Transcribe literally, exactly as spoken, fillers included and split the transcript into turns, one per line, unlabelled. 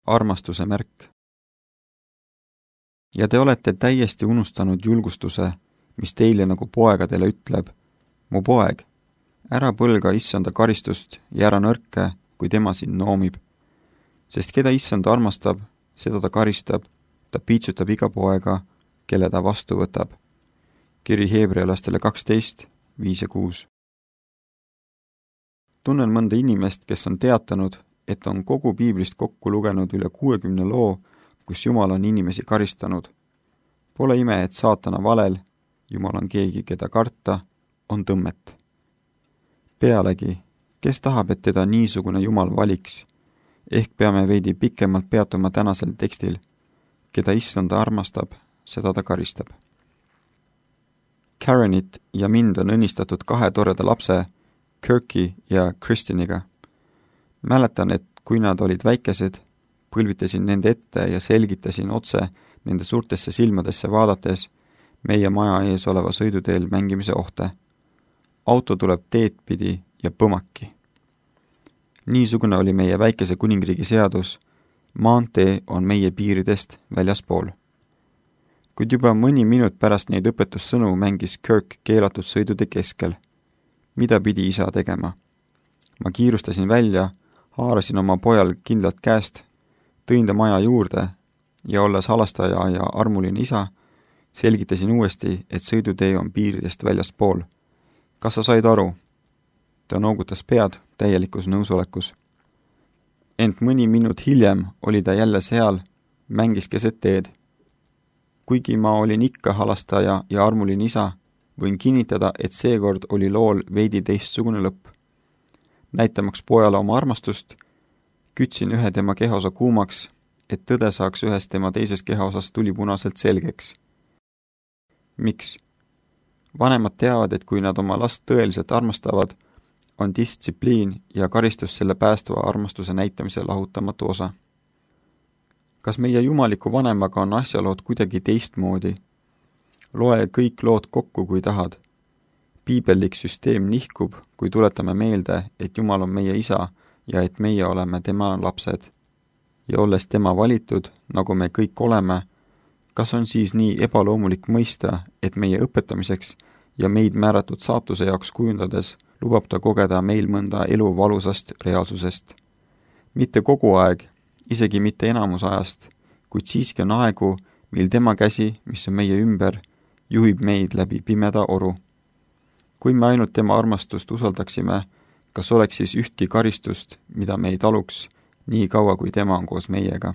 armastuse märk. Ja te olete täiesti unustanud julgustuse, mis teile nagu poegadele ütleb, mu poeg, ära põlga issanda karistust ja ära nõrke, kui tema sind noomib. Sest keda issand armastab, seda ta karistab, ta piitsutab iga poega, kelle ta vastu võtab. Kiri Heebrealastele kaksteist, viis ja kuus. Tunnen mõnda inimest, kes on teatanud, et on kogu piiblist kokku lugenud üle kuuekümne loo, kus Jumal on inimesi karistanud. Pole ime, et saatana valel, Jumal on keegi, keda karta, on tõmmet. Pealegi, kes tahab, et teda niisugune Jumal valiks? Ehk peame veidi pikemalt peatuma tänasel tekstil. Keda issanda armastab, seda ta karistab. Karenit ja mind on õnnistatud kahe toreda lapse, Kirki ja Kristiniga. Mäletan, et kui nad olid väikesed, põlvitasin nende ette ja selgitasin otse nende suurtesse silmadesse vaadates meie maja ees oleva sõiduteel mängimise ohte. Auto tuleb teed pidi ja põmaki. Niisugune oli meie väikese kuningriigi seadus. Maantee on meie piiridest väljaspool. Kuid juba mõni minut pärast neid õpetussõnu mängis Kirk keelatud sõidude keskel. Mida pidi isa tegema? Ma kiirustasin välja, haarasin oma pojal kindlalt käest, tõin ta maja juurde ja olles halastaja ja armuline isa, selgitasin uuesti, et sõidutee on piiridest väljaspool. Kas sa said aru? Ta noogutas pead täielikus nõusolekus. Ent mõni minut hiljem oli ta jälle seal, mängis keset teed. Kuigi ma olin ikka halastaja ja armuline isa, võin kinnitada, et seekord oli lool veidi teistsugune lõpp. Näitamaks pojale oma armastust, kütsin ühe tema kehaosa kuumaks, et tõde saaks ühest tema teises kehaosas tulipunaselt selgeks. Miks? Vanemad teavad, et kui nad oma last tõeliselt armastavad, on distsipliin ja karistus selle päästva armastuse näitamise lahutamatu osa. Kas meie jumaliku vanemaga on asjalood kuidagi teistmoodi? Loe kõik lood kokku, kui tahad. Piibellik süsteem nihkub, kui tuletame meelde, et Jumal on meie isa ja et meie oleme tema lapsed. Ja olles tema valitud, nagu me kõik oleme, kas on siis nii ebaloomulik mõista, et meie õpetamiseks ja meid määratud saatuse jaoks kujundades lubab ta kogeda meil mõnda elu valusast reaalsusest? Mitte kogu aeg, isegi mitte enamus ajast, kuid siiski on aegu, mil tema käsi, mis on meie ümber, juhib meid läbi pimeda oru. Kui me ainult tema armastust usaldaksime, kas oleks siis ühtki karistust, mida me ei taluks, nii kaua kui tema on koos meiega?